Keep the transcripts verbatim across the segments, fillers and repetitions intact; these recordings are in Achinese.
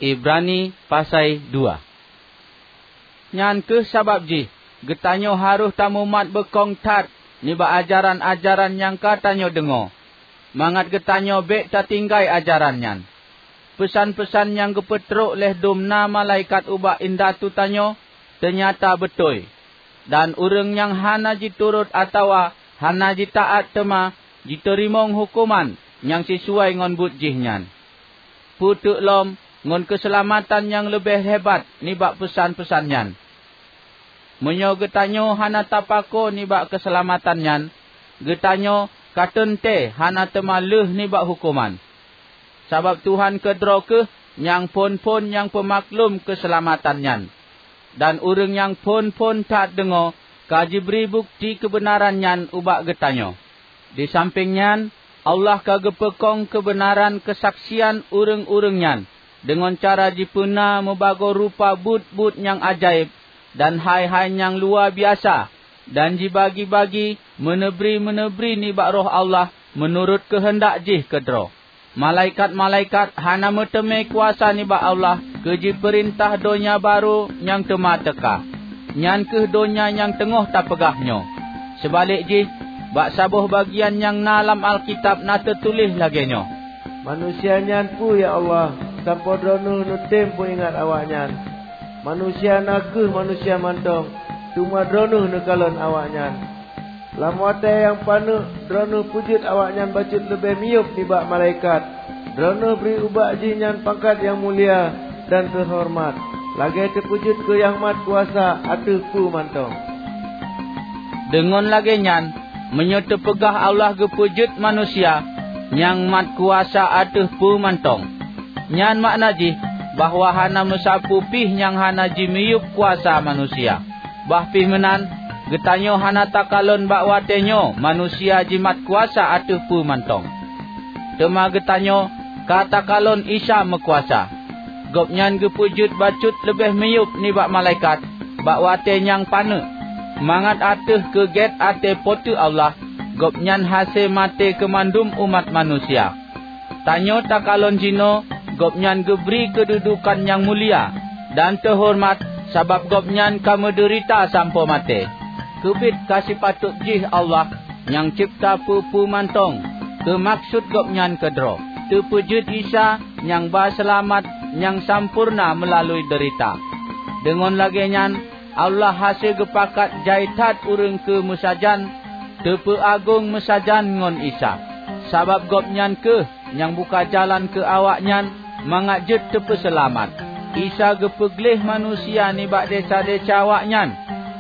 Ibrani pasai dua. Nyan kheueh sabab jih geutanyoe harôh tamumat beukong that nibak ajaran-ajaran nyang ka tanyoe deungoe, mangat geutanyoe bék tatinggai ajaran nyan. Peusan-peusan nyang geupeutrok lé dum na malaikat ubak indatu tanyoe teunyata beutôi, dan ureuëng nyang hana jiturot atawa hana jitaát teuma jiteurimong huköman nyang sisuai ngon buet jih nyan. Peuteuk lom ngon keuseulamatan nyang leubeh hebat nibak peusan-peusan nyan. Meunyoe geutanyoe hana tapako nibak keuseulamatan nyan, geutanyoe ka teuntée hana teuma lheueh nibak huköman. Sabab Tuhan keudroe kheueh nyang phon-phon nyang peumaklum keuseulamatan nyan, dan ureuëng nyang phon-phon that deungoe ka jibri bukeuti keubeunaran nyan ubak geutanyoe. Disampéng nyan, Allah ka geupeukong keubeunaran keusaksian ureuëng-ureuëng nyan deungon cara jipeuna meubagoe rupa buet-buet nyang ajaéb dan hai-hai nyang luwa biasa, dan jibagi-bagi meuneubri-meuneubri nibak Roh Allah meunurot keuheundak jih keudroe. Malaikat-malaikat hana meuteumé kuasa nibak Allah keu jipeurintah donya barô nyang teuma teuka, nyan kheueh donya nyang teungoh tapeugah nyoe. Seubalek jih, bak saboh bagian nyang na lam Alkitab na teutuléh lagée nyoe, "Manusia nyan peue, ya Allah, sampoe Droeneueh neutem peuingat awaknyan? Manusia na kheueh manusia mantong, teuma Droeneueh neukalon awaknyan. Lam watée nyang paneuk Droeneueh peujeuet awaknyan bacut leubeh miyueb nibak malaikat. Droeneueh bri ubak jihnyan pangkat nyang mulia dan teuhoreumat, lagée teupeujeuet keu Nyang Mat Kuasa ateueh peue mantong." Deungon lagée nyan, meunyoe teupeugah Allah geupeujeuet manusia Nyang Mat Kuasa ateueh peue mantong, nyan makna jih bahwa hana meusapeue pih nyang hana jimiyueb kuasa manusia. Bah pih meunan, geutanyoe hana takalon bak watée nyoe manusia jimat kuasa ateueh peue mantong. Teuma geutanyoe ka takalon Isa meukuasa. Gobnyan geupeujeuet bacut leubeh miyueb nibak malaikat bak watée nyang paneuk, mangat ateueh keu gét até Po teu Allah, Gobnyan hase maté keu mandum umat manusia. Tanyoe takalon jinoe Gobnyan geubri keududukan nyang mulia dan teuhoreumat, sabab Gobnyan ka meudeurita sampoe maté. Keubiet ka sipatot jih Allah nyang cebta peue-peue mantong keu maksut Gobnyan keudroe, teupeujeuet Isa nyang ba seulamat nyang sampoereuna meulalu deurita. Deungon lagée nyan, Allah hase geupakat jai that ureuëng keu meusajan teupeuagong meusajan ngon Isa, sabab Gobnyan kheueh nyang buka jalan keu awaknyan mangat jeuet teupeuseulamat. Isa geupeugleh manusia nibak desya-desya awaknyan,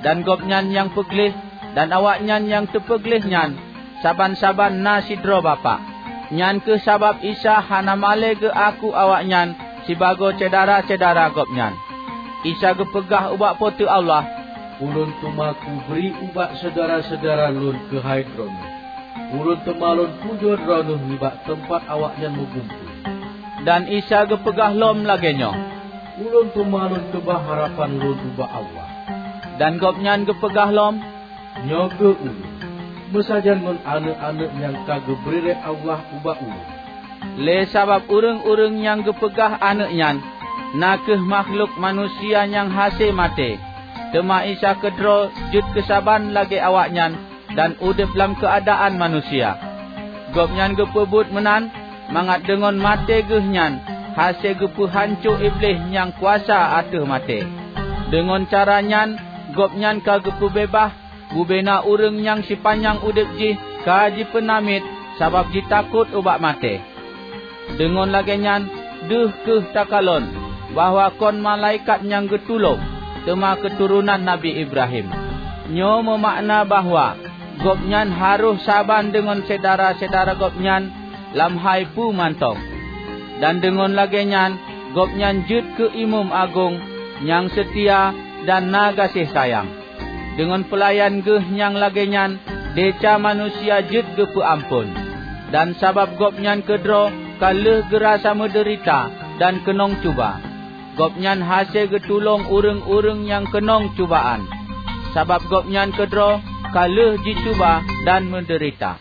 dan Gobnyan nyang peugleh dan awaknyan nyang teupeugleh nyan saban-saban na sidroe Bapak. Nyan kheueh sabab Isa hana malée geuaku awaknyan sibagoe syedara-syedara Gobnyan. Isa geupeugah ubak Po teu Allah, "Ulôn teuma kubri ubak syedara-syedara Lôn keuhai Droeneueh. Ulôn teuma Lôn pujoe Droeneueh nibak teumpat awaknyan meugumpôi." Dan Isa geupeugah lom lagée nyoe, "Ulôn teuma Lôn keubah harapan Lôn ubak Allah." Dan Gobnyan geupeugah lom, "Nyoe kheueh Ulôn, meusajan ngon aneuëk-aneuëk nyang ka geubri lé Allah ubak Ulôn." Lé sabab ureuëng-ureuëng nyang geupeugah aneuëk nyan na kheueh makhlok manusia nyang hase maté, teuma Isa keudroe jeuet keusaban lagée awaknyan dan udeb lam keuadaan manusia. Gobnyan geupeubuet meunan mangat deungon maté Geuh nyan hase geupeuhanco Iblih nyang kuasa ateueh maté. Deungon cara nyan Gobnyan ka geupeubeubaih bubena ureuëng nyang sipanyang udeb jih ka jipeunamiet sabab jitakot ubak maté. Deungon lagée nyan deuh kheueh takalon bahwa kon malaikat nyang geutulông, teuma keuturonan Nabi Ibrahim. Nyoe meumakna bahwa Gobnyan harôh saban deungon syedara-syedara Gobnyan lam hai peue mantong. Dan deungon lagée nyan Gobnyan jeuet keu Imeum Agong nyang seutia dan na gaséh sayang. Deungon peulayan Geuh nyang lagée nyan desya manusia jeuet geupeuamphon. Dan sabab Gobnyan keudroe ka lheueh geurasa meudeurita dan keunong cuba, Gobnyan hase geutulông ureuëng-ureuëng nyang keunong cubaan. Sabab Gobnyan keudroe ka lheueh jicuba dan meudeurita.